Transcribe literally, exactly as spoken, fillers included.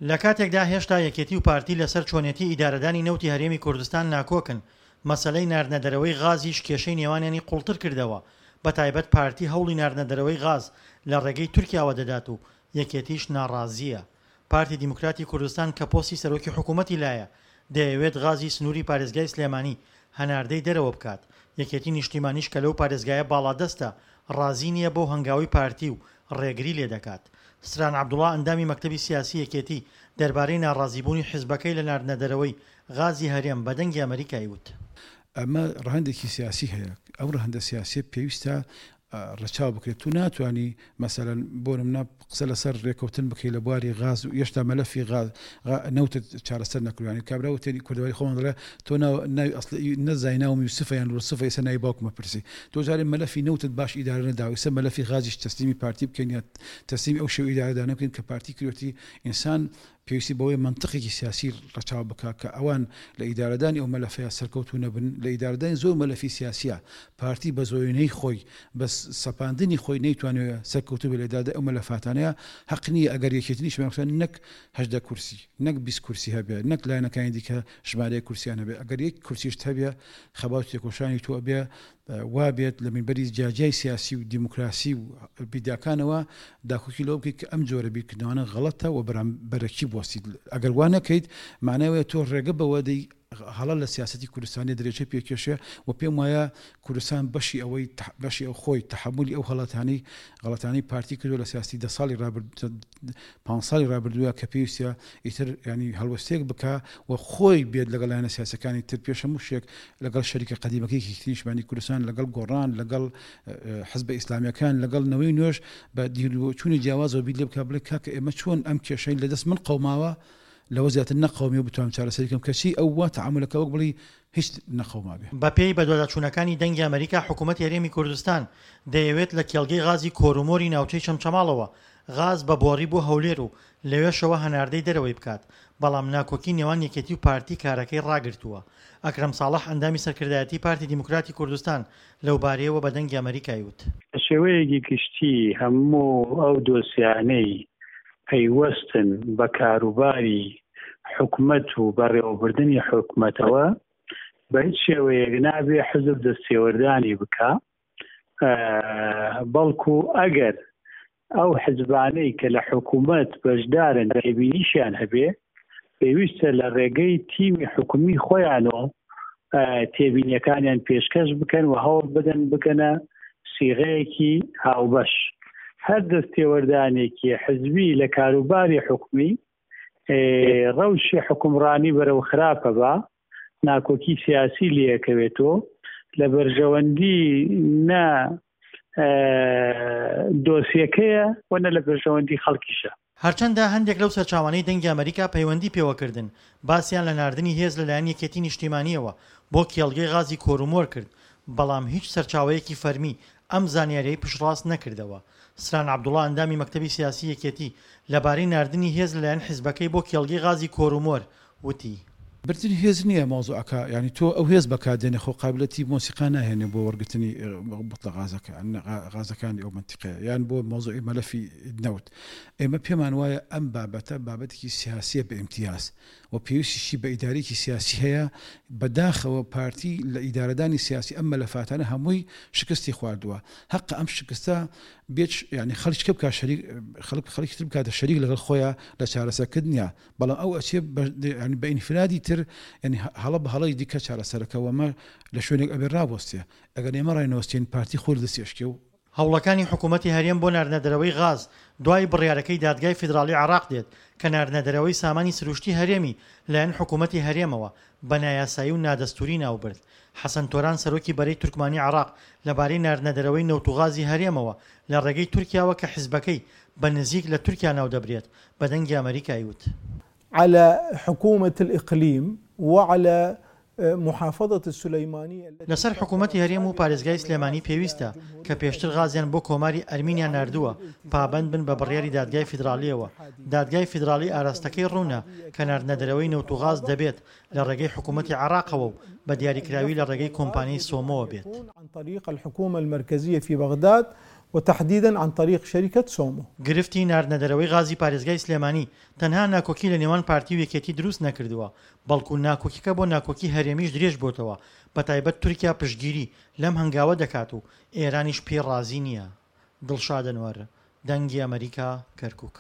لە کاتێکدا هێشتا یەکێتی و پارتی لەسەر چۆنێتی ئیدارەدانی نەوتی هەرێمی کوردستان ناکۆکن، مەسەلەی ناردنەدەرەوەی غازیش کێشەی نێوانیانی قوڵتر کردەوە، بەتایبەت پارتی هەوڵی ناردنەدەرەوەی غاز لە ڕێگەی تورکیاوە دەدات و یەکێتیش ناڕازییە. پارتی دیموکراتی کوردستان کە پۆستی سەرۆکی حکوومەتی لایە، دەیەوێت غازی سنووری پارێزگای سلێمانی هەناردەی دەرەوە بکات، یەکێتی نیشتیمانیش کە لەو پارێزگایە باڵادەستە، ڕازی نییە بەو هەنگاوەی پارتی و ڕێگری لێدەکات. ستران عەبدوڵا ئەندامی مەکتەبی سیاسی یەکێتی دەربارەی ناڕازیبوونی حزبەکەی لە ناردنەدەرەوەی غازی هەرێم بە دەنگی ئەمەریکای وت. ئەمە ڕەهەندێکی سیاسی هەیە، ئەو ڕەهەندە سیاسیە پێویستە ڕەچاو بکرێت. تو ناتوانی مەسەلەن بۆ نمونە قسە لەسەر ڕێکەوتن بکەی لە بواری غاز و هێشتا مەلەفی غاز نەوتت چارەسەر نەکردووە. یانی کابرا وتێنی کوردەواری خۆمان دەڵێ تۆ ناوی ئەسڵی نەزانی ناوم یوسفە یان لوسفە ئێستا ناوی باوکمە پرسی. تۆ جارێ مەلەفی نەوتت باش ئیدارە نەداوە، ئێستا مەلەفی غازیش تەسلیمی پارتی بکەین یا تەسلیمی ئەو شێوە ئیدارەدانە بکەین کە پارتی کردوێتی. ئینسان پێویستی بەوەیە مەنتقێکی سیاسی ڕەچاو بکا کە ئەوان لە ئیدارەدانی ئەو مەلەفەیە سەرکەوتوو نەبن. لە ئیدارەدانی زۆر مەلەفی سیاسیە پارتی بە زۆرینەی خۆی بە سەپاندنی خۆی نەیتوانیوە سەرکەوتوو بێت لە ئیدارەدانی ئەو مەلەفاتانەیە. حەق نییە ئەگەر یەکێتی نیشتمانی کوردستان نەک هەژدە کورسی نەک بیست کورسی هەبێ نەک لایەنەکانی دیکە ژمارەیەک کورسیان هەبێ، ئەگەر یەک کورسیشت هەبێ خەبات و تێکۆشانی تۆ ئەبێ وا بێت لە مینبەری جیاجیای سیاسی و دیموکراسی و بیداکانەوە داکۆکی لەوە بکەیت کە ئەم جۆرە بیرکردنەوانە غەڵەتە و بەرامبەرەکی بوەستیت. ئەگەر وا نەکەیت معنای وایە تۆ ڕێگە بەوە دەی هەڵە لە سیاسەتی کوردستانی درێژە پێکێشێ و پێم وایە کوردستان بەشی ئەوەی بەشی ئەو خۆی تەحەمولی ئەو هەڵەتانەی غەڵەتانەی پارتی کردووە لە سیاسەتی دە ساڵی ڕابرد پانز ساڵی ڕابردووە کە پێویستە ئیتر ینی هەڵوەستەیەک بکا و خۆی بێت لەگەڵ لایەنە سیاسەکانی تر پێش هەموو شتێک لەگەڵ شەریکە قەدیمەکەی یەکێتی نیشتمانی کوردستان لەگەڵ گۆڕان لەگەڵ حزبە ئیسلامیەکان لەگەڵ نەوەی نوێش بە دیرچوونی جیاوازەوە بیر لێ بکا بڵێ کاکە ئێمە چۆن ئەم کێشەی لەدەست من قەوماوە لەوە زیاتر نەقەومی و بتوانم چارەسەری کەم، کەچی ئەو وا تەعامولەکە وەک بڵێی هیچ نەقەومابێ. بەپێی بەدواداچوونەکانی دەنگی ئەمەریکا، حکومەتی هەرێمی کوردستان دەیەوێت لە کێڵگەی غازی کۆرومۆری ناوچەی چەمچەماڵەوە غاز بە بۆڕی بۆ هەولێر و لەوێشەوە هەناردەی دەرەوەی بکات، بەڵام ناکۆکی نێوان یەکێتی و پارتی کارەکەی ڕاگرتووە. ئەکرەم ساڵح ئەندامی سەرکردایەتی پارتی دیموکراتی کوردستان لەوبارەیەوە بە دەنگی ئەمەریکای وت. بە شێوەیەکی گشتی هەموو ئەو دۆسیانەی پەیوەستن بە کاروباری حکومەت و بەڕێوەبردنی حکومەتەوە بە هیچ شێوەیەک نابێ حزب دەستێوەردانی بکا، بەڵکو ئەگەر ئەو حزبانەی کە لە حکومەت بەشدارن تێبینیشیان هەبێ پێویستە لە ڕێگەی تیمی حکومی خۆیانەوە تێبینیەکانیان پێشکەش بکەن و هەوڵ بدەن بکەنە سیغەیەکی هاوبەش. هەر دەستێوەردانێکی حزبی لە کاروباری حکومی ڕەوشی حکومڕانی بەرەو خراپە بە ناکۆکی سیاسی لێکەوێتەوە لە بەرژەوەندی نە دۆسیەکەیە و نە لە بەرژەوەندی خەڵکیشە. هەرچەندە هەندێک لەو سەرچاوانەی دەنگی ئەمەریکا پەیوەندی پێوەکردن باسیان لە ناردنی هێز لەلایەن یەکێتی نیشتیمانیەوە بۆ کێڵگەی غازی کۆرومۆر کرد، بەڵام هیچ سەرچاوەیەکی فەرمی ئەم زانیاریەی پشتڕاست نەکردەوە. سران عەبدوڵا ئەندامی مەکتەبی سیاسی یەکێتی لەبارەی ناردنی هێز لەلایەن حزبەکەی بۆ کێڵگەی غازی کۆرومۆر وتی. بردنی هێز نییە مەوزوعەکە، یانی تۆ ئەو هێز بەکار دێنێ خۆ قابلەتی مۆسیقا ناهێنێ بۆ وەرگرتنی بوتڵە غازەکە غازەکانی ئەو مەنتیقەیە یان بۆ مەوزوعی مەلەفی نەوت. ئێمە پێمان وایە ئەم بابەتە بابەتێکی سیاسیە بە ئیمتیاز و پێویستیشی بە ئیدارەیەکی سیاسی هەیە. بەداخەوە پارتی لە ئیدارەدانی سیاسی ئەم مەلەفاتانە هەمووی شکستی خواردووە. هەقە ئەم شکستە بێت یانی خەڵکی بکات شەریک خەڵک خەڵکی تر بکاتە شەریک لەگەڵ خۆیان لە چارەسەرکردنیا، بەڵام ئەو ئەچێ بە ئینفرادی تر یانی هەڵە بە هەڵەی دیکە چارەسەرەکە وەمە لە شوێنێک ئەبێ ڕابوەستێ. ئەگەر ئێمە ڕاینەوەستین پارتی خۆی لە دەستی ئەشکێ و هەوڵەکانی حکوومەتی هەرێم بۆ ناردنەدەرەوەی غاز دوای بڕیارەکەی دادگای فیدراڵی عێراق دێت کە ناردنەدەرەوەی سامانی سروشتی هەرێمی لایەن حکوومەتی هەرێمەوە بە نایاسایی و نادەستووری ناوبرد. حەسەن تۆران سەرۆکی بەرەی تورکمانی عێراق لەبارەی ناردنەدەرەوەی نەوت و غازی هەرێمەوە لە ڕێگەی تورکیاوە کە حزبەکەی بە نزیک لە تورکیا ناودەبرێت بە دەنگی ئەمەریکای وت. على حكومة الإقليم وعلى محافظة السليمانية لەسەر حکوومەتی هەرێم و پارێزگای سلێمانی پێویستە کە پێشتر غازیان بۆ کۆماری ئەرمینیا ناردووە پابەند بن بە بڕیاری دادگای فیدراڵیەوە. دادگای فیدراڵی ئاراستەکەی ڕوونە کە ناردنەدەرەوەی نەوت و غاز دەبێت لە ڕێگەی حکوومەتی عێراقەوە و بە دیاریکراوی لە ڕێگەی کۆمپانیای سۆمۆوە بێت. عن طريق الحكومة المركزية في بغداد وتحديدا عن طريق شركة سومو. گرفتی ناردنەدەرەوەی غازی پارێزگای سلێمانی تەنها ناکۆکی لە نێوان پارتی و یەکێتی دروست نەکردووە، بەڵکو ناکۆکیەکە بۆ ناکۆکی هەرێمیش درێژ بۆتەوە، بەتایبەت تورکیا پشتگیری لەم هەنگاوە دەکات و ئێرانیش پێی ڕازی نییە. دڵشاد ئەنوەر، دەنگی ئەمەریکا، کەرکوک.